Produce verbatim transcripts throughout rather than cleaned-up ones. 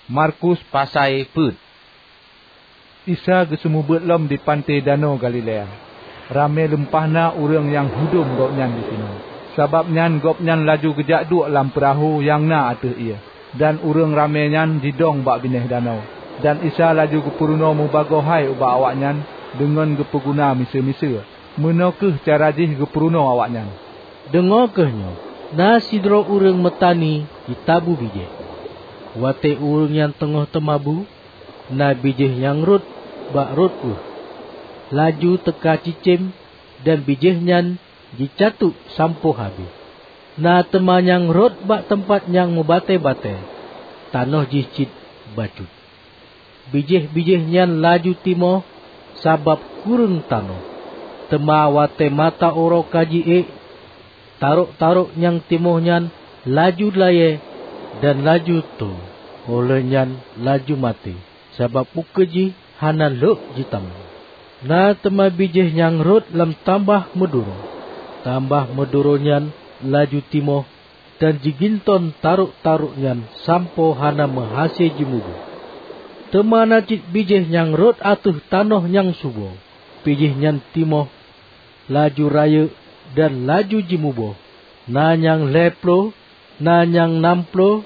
Markus pasai peuet. Isa geuseumeubeuet lom di panté Danau Galilea. Ramé lumpah na ureuëng nyang hudom Gobnyan disinoe. Sabab nyan Gobnyan laju geujak duek lam peurahô nyang na ateueh ié, dan ureuëng ramé nyan jidong bak binéh danau. Dan Isa laju geupeurunoe mubagoe hai ubak awaknyan deungon geupeuguna miseue-miseue. Meunoe kheueh cara jih geupeurunoe awaknyan. Deungoe kheueh nyoe, na sidroe ureuëng meutani jitabu bijéh. Watée ureuëng nyan teungoh teumabu, na bijéh nyang rhot bak rot ueh. Laju teuka cicém dan bijéh nyan jicatuek sampoe habéh. Na teuma nyang rhot bak teumpat nyang meubatée-batée, tanoh jih cit bacut. Bijéh-bijéh nyan laju timoh sabab kureueng tanoh. Teuma watée mata uroe ka ji-ék, tarok-tarok nyang timoh nyan laju layée dan laju tô. Óh lheueh nyan laju maté, sabab ukeue jih hana lhok jitamong. Na teuma bijéh nyang rhot lam tambah meuduro. Tambah meuduro nyan laju timoh dan jiginton tarok-tarok nyan sampoe hana meuhase jimuboh. Teuma na cit bijéh nyang rhot ateueh tanoh nyang subo. Bijéh nyan timoh, laju rayeuk dan laju jimuboh, na nyang lhée ploh, na nyang nam ploh,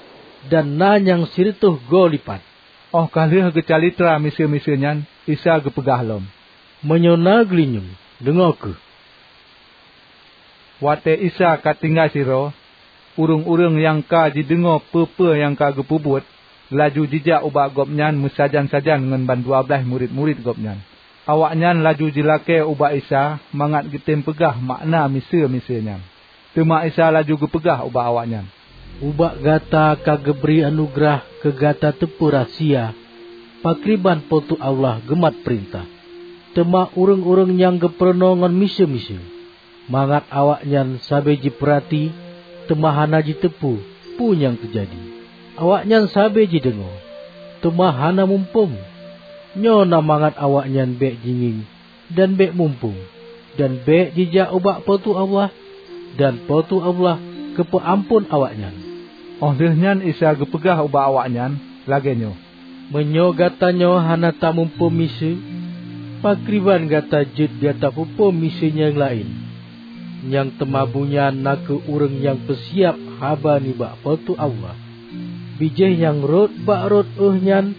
dan na nyang sireutôh goe lipat. Óh ka lheueh geucalitra miseue-miseue nyan, Isa geupeugah lom, "Meunyoe na geulinyueng, deungoe kheueh!" Watée Isa ka tinggai sidroe, ureuëng-ureuëng nyang ka jideungoe peue-peue nyang ka geupeubuet, laju jijak ubak Gobnyan meusajan-sajan ngon bandua blaih murit-murit Gobnyan. Awaknyan laju jilakée ubak Isa mangat geutem peugah makna miseue-miseue nyan. Teuma Isa laju geupeugah ubak awaknyan, "Ubak gata ka geubri anugeurah keu gata teupeu rahsia pakriban Po teu Allah geumat peurintah. Teuma ureuëng-ureuëng nyang geupeurunoe ngon miseue-miseue, mangat awaknyan sabe jipeurati, teuma hana jiteupeu peue nyang teujadi. Awaknyan sabe jideungoe, teuma hana muphom. Nyoe na mangat awaknyan bék jingieng dan bék muphom, dan bék jijak ubak Po teu Allah, dan Po teu Allah geupeuamphon awaknyan." Óh lheueh nyan Isa geupeugah ubak awaknyan lagée nyoe, "Meunyoe gata nyoe hana tamuphom miseue, pakriban gata jeuet gata peuphom miseue nyang laén? Nyang teumabu nyan na kheueh ureuëng nyang peusiab haba nibak Po teu Allah. Bijéh nyang rhot bak rot ueh nyan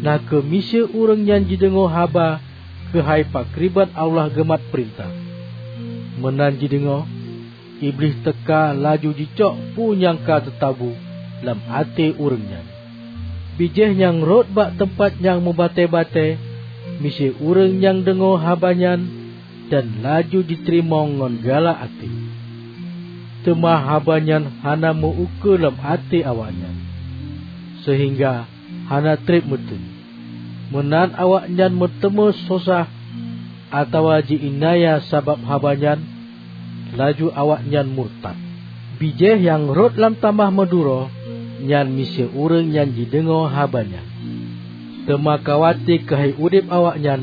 na kheueh miseue ureuëng nyan jideungoe haba keuhai pakriban Allah geumat peurintah. Meunan jideungoe, Iblih teuka laju jicok peue nyang ka teutabu lam até ureuëng nyan. Bijéh nyang rhot bak teumpat nyang meubatée-batée miseue ureuëng nyang deungoe haba nyan dan laju jiteurimong ngon galak até. Teuma haba nyan hana meu-ukeue lam até awaknyan, seuhingga hana treb meuteun. Meunan awaknyan meuteumé sosah atawa ji-iénaya sabab haba nyan, laju awaknyan murtad. Bijéh nyang rhot lam tamah meuduro nyan miseue ureuëng nyang jideungoe haba nyan. Teuma ka watée keuhai udeb awaknyan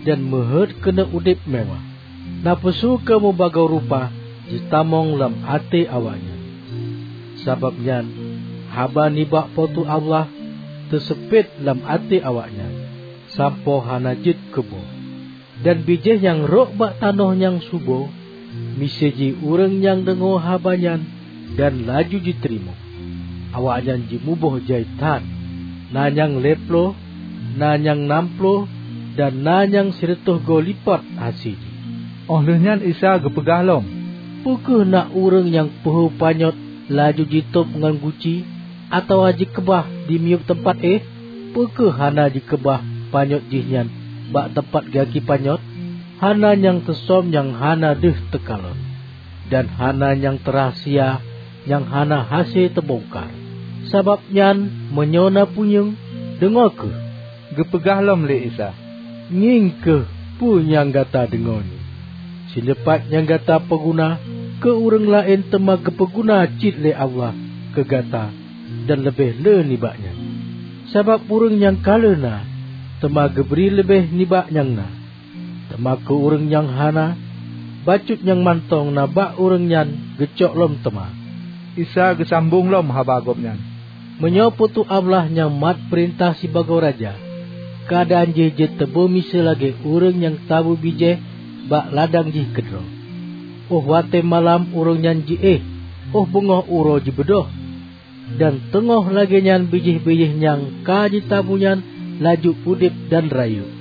dan meuheuét keuneuk udeb meuwah. Nafeusu keu meubagoe rupa jitamong lam até awaknyan. Sabab nyan, haba nibak Po teu Allah teuseupet lam até awaknyan, sampoe hana jeuet keu boh. Dan bijéh nyang rhot bak tanoh nyang subo miseue jih ureuëng nyang deungoe haba nyan dan laju jiteurimong. Awaknyan jimuboh jai that, na nyang lhée ploh, na nyang nam ploh, dan na nyang sireutôh goe lipat hase jih." Óh lheueh nyan Isa geupeugah lom, "Peu kheueh na ureuëng nyang peuhôi panyöt laju jitôb ngon guci, atawa jikeubah di miyueb teumpat éh? Peu kheueh hana jikeubah panyöt jih nyan bak teumpat gaki panyöt? Hana nyang teusöm nyang hana deuh teukalon, dan hana nyang teurahsia nyang hana hase teubongkar. Sabab nyan, meunyoe na punyueng, deungoe kheueh!" Geupeugah lom lé Isa, "Ngieng kheueh peue nyang gata deungoe nyoe. Sileupah nyang gata peuguna keu ureuëng laén teuma geupeuguna cit lé Allah keu gata dan leubeh le nibak nyan. Sabab ureuëng nyang ka le na, teuma geubri leubeh nibak nyang na. Teuma keu ureuëng nyang hana, bacut nyang mantong na bak ureuëng nyan geucok lom teuma." Isa geusambong lom haba Gobnyan, Meunyoe Po teu Allah nyang mat peurintah sibagoe raja, keuadaan jih jeuet teubeumiseue lagée ureuëng nyang tabu bijéh bak ladang jih keudroe. Óh watée malam ureuëng nyan jiéh, óh beungoh uroe jibeudôh, dan teungoh lagée nyan bijéh-bijéh nyang ka jitabu nyan laju udeb dan rayeuk.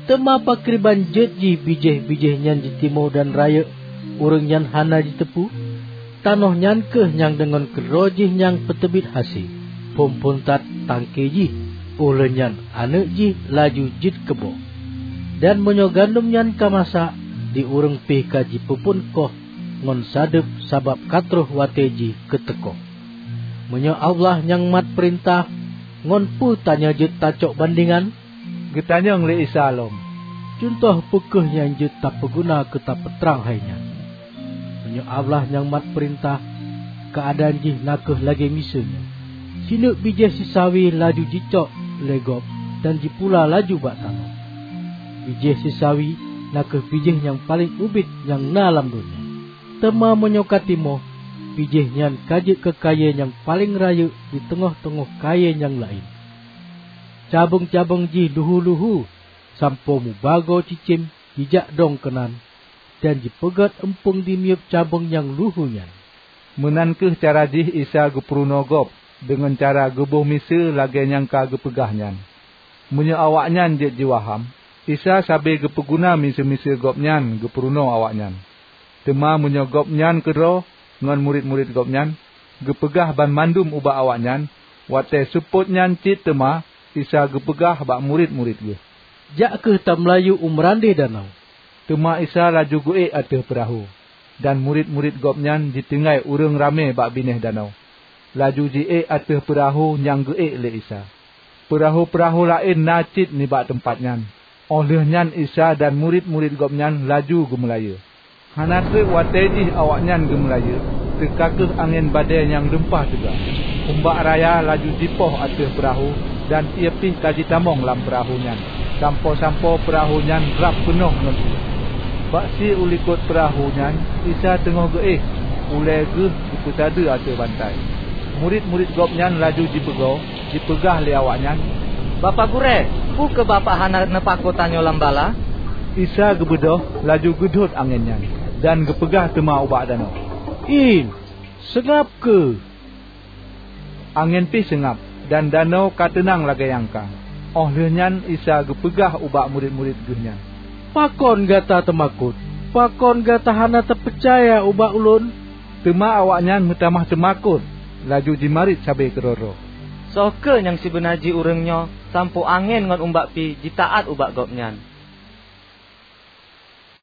Teuma pakriban jeuet jih bijéh-bijéh nyan jitimoe dan rayeuk, ureuëng nyan hana jiteupeu? Tanoh nyan kheueh nyang deungon keudroe jih nyang peuteubiet hase, phon-phon that tangke jih, óh lheueh nyan aneuëk jih laju jeuet keuboh. Dan meunyoe gandom nyan ka masak, di ureuëng pih ka jipeuphon koh ngon sadeueb, sabab ka troh watée jih keu teukoh. Meunyoe Allah nyang mat peurintah, ngon peue tanyoe jeuet tacok bandingan? Geutanyong lé Isa lom, "Cuntoh peu kheueh nyang jeuet tapeuguna keu tapeutrang hai nyan? Meunyoe Allah nyang mat peurintah, keuadaan jih na kheueh lagée miseue nyoe: Sineuk bijéh sisawi laju jicok lé gob dan jipula laju bak tanoh. Bijéh sisawi na kheueh bijéh nyang paleng ubit nyang na lam donya. Teuma meunyoe ka timoh, bijéh nyan ka jeuet keu kayée nyang paleng rayeuk di teungoh-teungoh kayée nyang laén. Cabeueng-cabeueng jih luhu-luhu, sampoe mubagoe cicém jijak dong keunan, dan jipeugét eumpung dimiyueb cabeueng nyang luhu nyan." Meunan kheueh cara jih Isa geupeurunoe gob deungon cara geuboh miseue lagée nyang ka geupeugah nyan. Meunyoe awaknyan jeuet jiwaham, Isa sabe geupeuguna miseue-miseue Gobnyan geupeurunoe awaknyan. Teuma meunyoe Gobnyan keudroe ngon murit-murit Gobnyan geupeugah banmandum ubak awaknyan, watée seupôt nyan cit teuma Isa geupeugah bak murit-murit Geuh, "Jak kheueh tameulayeue u meurandeh danau." Teuma Isa laju geuék ateueh peurahô, dan murit-murit Gobnyan jitinggai ureuëng ramé bak binéh danau. Laju jiék ateueh peurahô nyang geuék lé Isa. Peurahô-peurahô laén na cit nibak teumpat nyan. Óh lheueh nyan Isa dan murit-murit Gobnyan laju geumeulayeue. Hana treuk watée jih awaknyan geumeulayeue, teuka kheueh angén badée nyang lumpah teuga. Umbak raya laju jipoh ateueh peurahô, dan ié pih ka jitamong lam peurahô nyan, sampoe-sampoe peurahô nyan rab peunoh ngon ié. Bak sie u likot peurahô nyan Isa teungoh geuéh, ulée Geuh geupeusadeue ateueh bantai. Murit-murit Gobnyan laju jipeugoe, jipeugah lé awaknyan, "Bapak Gurée, peu kheueh Bapak hana neupako tanyoe lam bala?" Isa geubeudôh, laju geudhôt angén nyan, dan geupeugah teuma ubak danau, "Im, seungab kheueh!" Angén pih seungab, dan danau ka teunang lagée nyang ka. Óh lheueh nyan Isa geupeugah ubak murit-murit Geuh nyan, "Pakon gata teumakot? Pakon gata hana tapeucaya ubak Ulôn?" Teuma awaknyan meutamah teumakot, laju jimarit sabe keudroe-droe, "Soe kheueh nyang sibeuna jih ureuëng nyoe, sampoe angén ngon umbak pih jitaát ubak Gobnyan?"